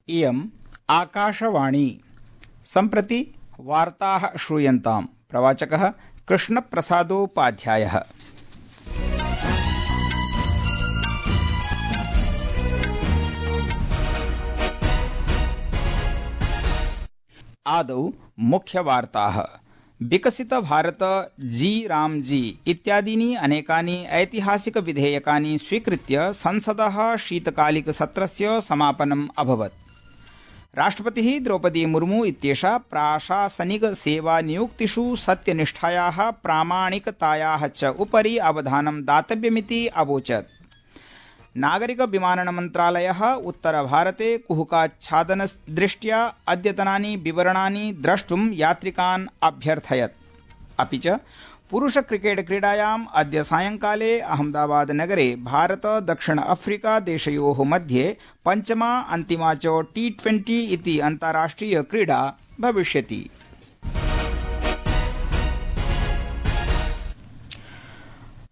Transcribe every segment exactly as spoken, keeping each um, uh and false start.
इयम् आकाशवाणी। सम्प्रति वार्ताः श्रूयन्ताम्। प्रवाचकः कृष्णप्रसादोपाध्यायः। आदौ मुख्यवार्ताः। विकसित भारत जी रामजी इत्यादीनि अनेकानि ऐतिहासिक विधेयकानि स्वीकृत्य संसदः शीतकालिकसत्रस्य समापनम् अभवत्। राष्ट्रपतिः द्रौपदी मुर्मू इत्येषा प्राशासनिक सेवानियुक्तिषु सत्यनिष्ठायाः प्रामाणिकतायाः च उपरि अवधानं दातव्यमिति अवोचत्। नागरिक विमानन मन्त्रालयः उत्तरभारते कुहुकाच्छादनदृष्ट्या अद्यतनानि विवरणानि द्रष्टुं यात्रिकान् अभ्यर्थयत्। अपि च पुरुष क्रिकेट क्रीडायाम् अद्य सायंकाले अहमदाबाद नगरे भारत दक्षिण अफ्रीका देशयोः मध्ये पञ्चमा अन्तिमा च टी ट्वेंटी इति अन्ताराष्ट्रिय क्रीडा भविष्यति।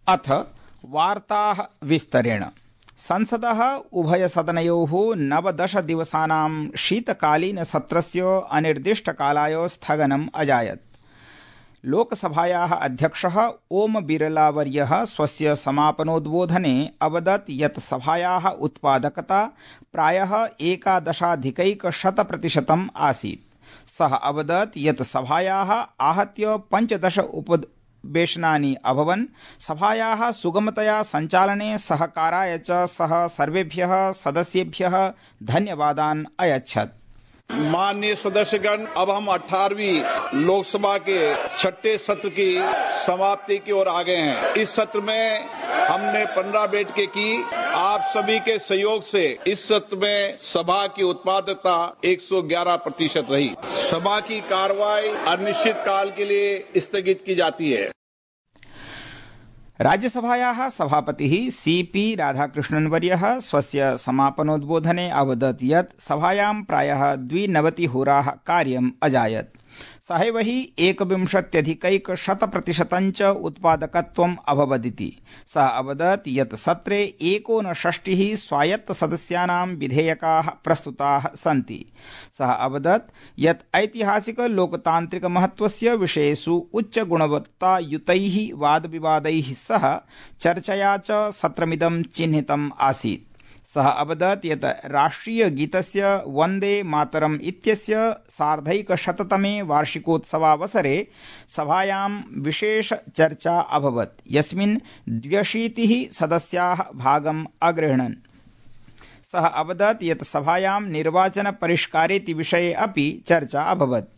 अथ वार्ताः विस्तरेण। संसदः उभयसदनयोः नवदश दिवसानां शीतकालीन सत्रस्य अनिर्दिष्टकालाय स्थगनम् अजायत्। लोकसभायाः अध्यक्षः ओम बिरला वर्यः स्वस्य समापनोद्बोधने अवदत् यत् सभायाः उत्पादकता प्रायः एकादशाधिकैकशतप्रतिशतम् आसीत्। सः अवदत् यत् सभायाः आहत्य पञ्चदश उपवेशनानि अभवन्। सभायाः सुगमतया सञ्चालने सहकाराय च सः सर्वेभ्यः सदस्येभ्यः धन्यवादान् अयच्छत्। माननीय सदस्यगण, अब हम अठारहवीं लोकसभा के छठे सत्र की समाप्ति की ओर आ गए हैं। इस सत्र में हमने पंद्रह बैठकें की। आप सभी के सहयोग से इस सत्र में सभा की उत्पादकता एक सौ ग्यारह प्रतिशत रही। सभा की कार्रवाई अनिश्चित काल के लिए स्थगित की जाती है। राज्यसभायाः सभापतिः सी पी राधाकृष्णन् वर्यः स्वस्य समापनोद्बोधने अवदत् यत् सभायां प्रायः द्विनवतिहोराः कार्यम् अजायत्। सहैव हि एकविंशत्यधिकैकशतप्रतिशतञ्च उत्पादकत्वम् अभवदिति। सः अवदत् यत् सत्रे एकोनषष्टिः स्वायत्तसदस्यानां विधेयकाः प्रस्तुताः सन्ति। सः अवदत् यत् ऐतिहासिक लोकतान्त्रिक महत्वस्य विषयेषु उच्चगुणवत्तायुतैः वादविवादैः सह चर्चया च सत्रमिदं चिह्नितम् आसीत्। सः अवदत् यत् राष्ट्रियगीतस्य वन्दे मातरम् इत्यस्य सार्धैकशततमे वार्षिकोत्सवावसरे सभायां विशेष चर्चा अभवत्, यस्मिन् द्व्यशीतिः सदस्याः भागम् अगृह्णन्। सः अवदत् यत् सभायां निर्वाचन परिष्कारेति विषये अपि चर्चा अभवत्,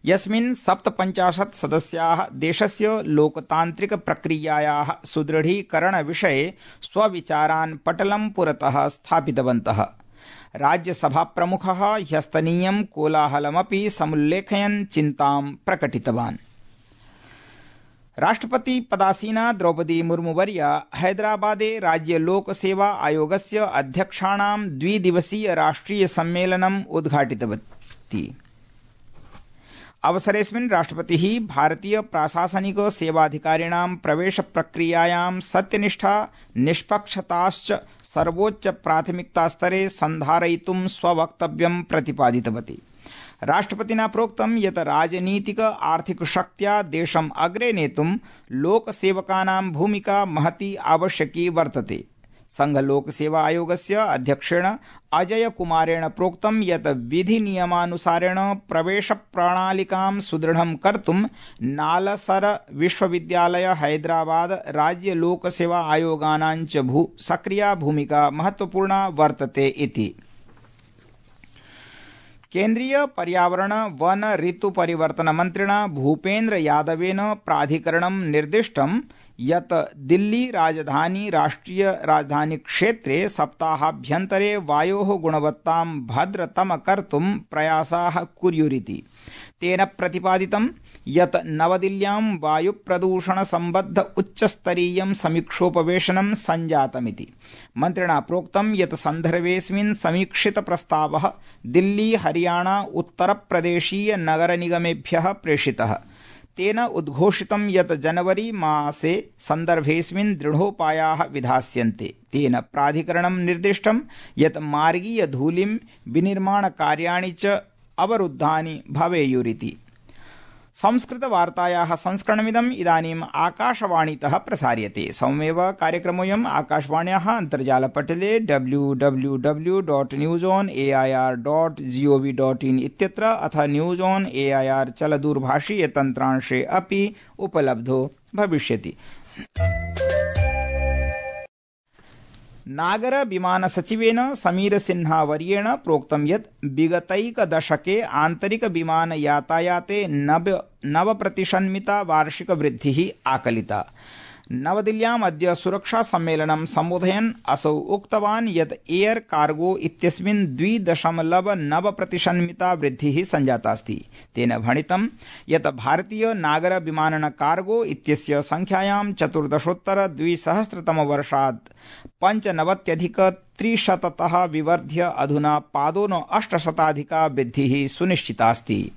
यस्मिन् सप्तपञ्चाशत् सदस्याः देशस्य लोकतान्त्रिक प्रक्रियायाः सुदृढीकरणविषये स्वविचारान् पटलं पुरतः स्थापितवन्तः। राज्यसभाप्रमुखः ह्यस्तनीयं कोलाहलमपि समुल्लेखयन् चिन्तां प्रकटितवान्। राष्ट्रपति पदासीना द्रौपदी मुर्मुवर्या हैदराबादे राज्य लोकसेवा आयोगस्य अध्यक्षाणां द्विदिवसीय राष्ट्रिय सम्मेलनम् उद्घाटितवती। अवसरेऽस्मिन् राष्ट्रपतिः भारतीय प्राशासनिक सेवाधिकारिणां प्रवेश प्रक्रियायां सत्यनिष्ठा निष्पक्षताश्च सर्वोच्च प्राथमिकतास्तरे सन्धारयितुं स्ववक्तव्यं प्रतिपादितवती। राष्ट्रपतिना प्रोक्तं यत् राजनीतिक आर्थिक शक्त्या देशम् अग्रे नेतुं लोकसेवकानां भूमिका महती आवश्यकी वर्तते। संघ लोकसेवा आयोगस्य अध्यक्षेण अजय कुमारेण प्रोक्तं यत् विधिनियमानुसारेण प्रवेश प्रणालिकां सुदृढं कर्तुं नालसर विश्वविद्यालय हैदराबाद राज्य लोकसेवा आयोगानां च भू सक्रिया भूमिका महत्वपूर्णा वर्तते इति। केन्द्रीय पर्यावरण वन ऋतु परिवर्तन मन्त्रिणा भूपेन्द्र यादवेन प्राधिकरणं निर्दिष्टं यत् दिल्ली राजधानी राष्ट्रिय राजधानी क्षेत्रे सप्ताहाभ्यन्तरे वायोः गुणवत्तां भद्रतम कर्तुं प्रयासाः कुर्युरिति। तेन प्रतिपादितं यत् नवदिल्ल्यां वायुप्रदूषण सम्बद्ध उच्चस्तरीयं समीक्षोपवेशनं सञ्जातमिति। मन्त्रिणा प्रोक्तं यत् सन्दर्भेऽस्मिन् समीक्षित प्रस्तावः दिल्ली हरियाणा उत्तरप्रदेशीय नगरनिगमेभ्यः प्रेषितः। तेन उद्घोषितं यत् जनवरी मासे सन्दर्भेऽस्मिन् दृढोपायाः विधास्यन्ते। तेन प्राधिकरणं निर्दिष्टं यत् मार्गीय धूलिं विनिर्माणकार्याणि च अवरुद्धानि भवेयुरिति। संस्कृतवार्तायाः संस्करणमिदम् इदानीम् आकाशवाणीतः प्रसार्यते। सममेव कार्यक्रमोऽयम् आकाशवाण्याः अन्तर्जालपटले W W W dot news on A I R dot GOV dot in इत्यत्र अथ news on A I R चलदूरभाषीय तन्त्रांशे अपि उपलब्धो भविष्यति। नागर विमान सचिवेन समीर सिन्हा वर्येण प्रोक्तं यत् विगतैकदशके आन्तरिक विमान यातायाते नव नवप्रतिशन्मिता वार्षिक वृद्धिः आकलिता। नवदिल्ल्याम् अद्य सुरक्षा सम्मेलनं सम्बोधयन् असौ उक्तवान् यत् एयर कार्गो इत्यस्मिन् द्वि दशमलव नव प्रतिशन्मिता वृद्धिः संजातास्ति। तेन भणितं यत् भारतीय नागर विमानन कार्गो इत्यस्य संख्यायां चतुर्दशोत्तर द्विसहस्रतमवर्षात् पञ्चनवत्यधिक त्रिशततः विवर्ध्य अधुना पादोन अष्टशताधिका वृद्धिः सुनिश्चितास्ति।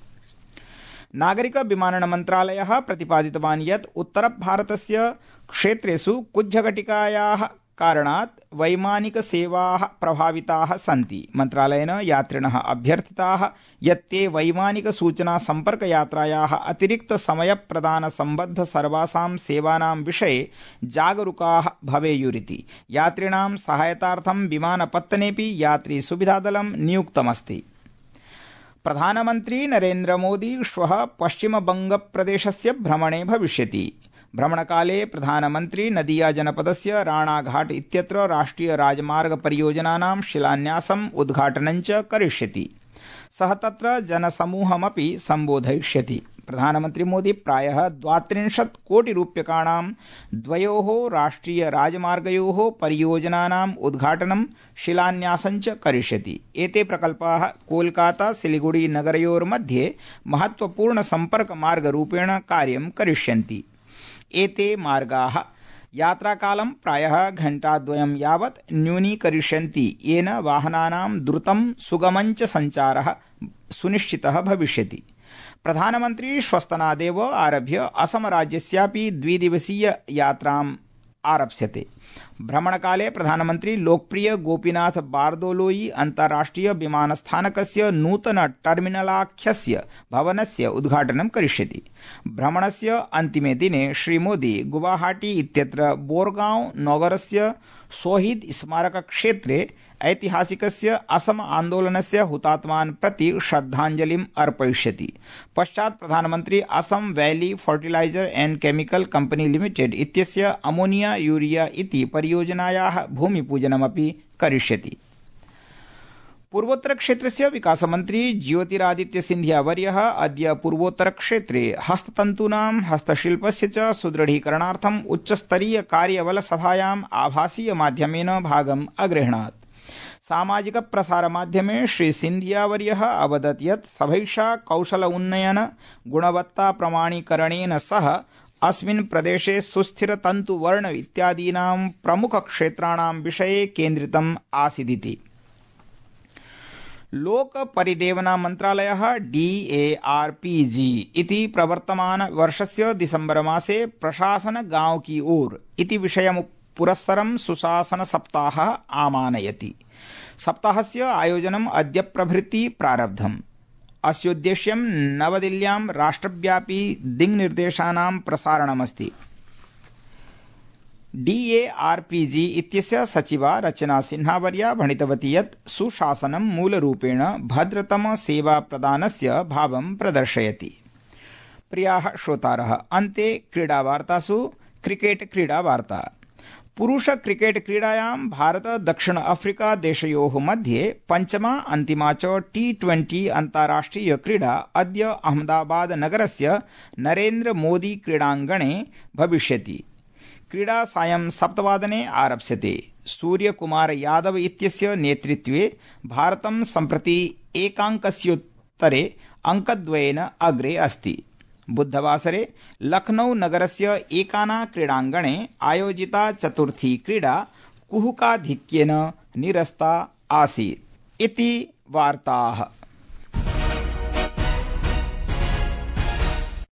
नागरिक विमानन मन्त्रालयः प्रतिपादितवान् यत् उत्तरभारतस्य क्षेत्रेषु कुज्झघटिकायाः कारणात् वैमानिक सेवाः प्रभाविताः सन्ति। मन्त्रालयेन यात्रिणः अभ्यर्थिताः यत् ते वैमानिक सूचना सम्पर्क यात्रायाः अतिरिक्त समय प्रदान सम्बद्ध सर्वासां सेवानां विषये जागरूकाः भवेयुरिति। यात्रिणां सहायतार्थं विमानपत्तनेपि यात्री सुविधादलं नियुक्तमस्ति। प्रधानमन्त्री नरेन्द्र मोदी श्वः पश्चिमबंगप्रदेशस्य भ्रमणे भविष्यति। भ्रमणकाले प्रधानमन्त्री नदिया जनपदस्य राणाघाट इत्यत्र राष्ट्रिय राजमार्ग परियोजनानां शिलान्यासम् उद्घाटनं च करिष्यति। सः तत्र जनसमूहमपि सम्बोधयिष्यति। प्रधानमन्त्री मोदी प्रायः द्वात्रिंशत् कोटि रूप्यकाणां द्वयोः राष्ट्रिय राजमार्गयोः परियोजनानाम् उद्घाटनं शिलान्यासं च करिष्यति। एते प्रकल्पाः कोलकाता सिलिगुड़ी नगरयोर्मध्ये महत्वपूर्ण सम्पर्क मार्गरूपेण कार्यं करिष्यन्ति। एते मार्गाः यात्राकालं प्रायः घण्टाद्वयं यावत् न्यूनीकरिष्यन्ति, येन वाहनानां द्रुतं सुगमं च सञ्चारः सुनिश्चितः भविष्यति। प्रधानमन्त्री श्वस्तनादेव आरभ्य असम राज्यस्यापि द्विदिवसीय यात्राम् आरप्स्यते। भ्रमणकाले प्रधानमन्त्री लोकप्रिय गोपीनाथ बारदोलोई अन्ताराष्ट्रिय विमानस्थानकस्य नूतन टर्मिनलाख्यस्य भवनस्य उद्घाटनं करिष्यति। भ्रमणस्य अन्तिमे दिने श्रीमोदी गुवाहाटी इत्यत्र बोरगांव नगरस्य शहीद स्मारक क्षेत्रे ऐतिहासिकस्य असम आन्दोलनस्य हुतात्मान् प्रति श्रद्धाञ्जलिम् अर्पयिष्यति। पश्चात् प्रधानमन्त्री Assam valley fertilizer and chemical company limited इत्यस्य अमोनिया यूरिया इति परियोजनायाः भूमिपूजनमपि करिष्यति। पूर्वोत्तर क्षेत्रस्य विकासमन्त्री ज्योतिरादित्य सिंधिया वर्यः अद्य पूर्वोत्तर क्षेत्रे हस्ततन्तूनां हस्तशिल्पस्य च सुदृढीकरणार्थम् उच्चस्तरीय कार्यबल सभायाम् आभासीय माध्यमेन भागम् अगृह्णात्। सामाजिक प्रसार माध्यमे श्री सिंधिया वर्यः अवदत् यत् सभैषा कौशल उन्नयन गुणवत्ता प्रमाणीकरणेन सह अस्मिन् प्रदेशे सुस्थिर तन्तुवर्ण इत्यादीनां प्रमुख क्षेत्राणां विषये केन्द्रितम् आसीदिति। लोक परिदेवना मन्त्रालयः D A R P G इति प्रवर्तमान वर्षस्य दिसंबर मासे प्रशासन गांव की ओर इति विषयम् पुरस्सरं सुशासन सप्ताहः आमानयति। सप्ताहस्य आयोजनम् अद्य प्रभृति प्रारब्धम्। अस्योद्देश्यं नवदिल्ल्यां राष्ट्रव्यापी दिङ्निर्देशानां प्रसारणमस्ति। D A R P G इत्यस्य सचिवा रचना सिन्हावर्या भणितवती यत् सुशासनं मूलरूपेण भद्रतम सेवा प्रदानस्य भावं प्रदर्शयति। प्रियाः श्रोतारः, अन्ते क्रीडावार्तासु क्रिकेट क्रीडावार्ता। पुरुष क्रिकेट क्रीडायां भारत दक्षिण अफ्रीका देशयोः मध्ये पञ्चमा अन्तिमा च टी ट्वेंटी अन्ताराष्ट्रिय क्रीडा अद्य अहमदाबाद नगरस्य नरेन्द्र मोदी क्रीडाङ्गणे भविष्यति। क्रीडा सायं सप्तवादने आरप्स्यते। सूर्यकुमार यादव इत्यस्य नेतृत्वे भारतं सम्प्रति एकाङ्कस्योत्तरे अङ्कद्वयेन अग्रे अस्ति। बुधवासरे लखनऊ नगरस्य एकाना क्रीडाङ्गणे आयोजिता चतुर्थी क्रीडा कुहुकाधिक्येन निरस्ता आसीत् इति वार्ताः।